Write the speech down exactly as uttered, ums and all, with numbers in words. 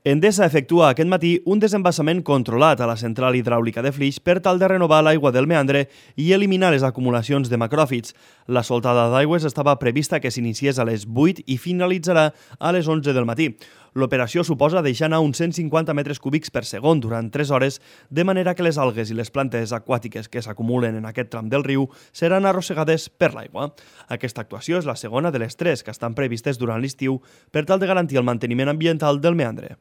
Endesa efectua aquest matí un desembassament controlat a la central hidràulica de Flix per tal de renovar l'aigua del meandre i eliminar les acumulacions de macròfits. La soltada d'aigües estava prevista que s'iniciés a les vuit i finalitzarà a les onze del matí. L'operació suposa deixar anar uns cent cinquanta metres cúbics per segon durant tres hores, de manera que les algues i les plantes aquàtiques que s'acumulen en aquest tram del riu seran arrossegades per l'aigua. Aquesta actuació és la segona de les tres que estan previstes durant l'estiu per tal de garantir el manteniment ambiental del meandre.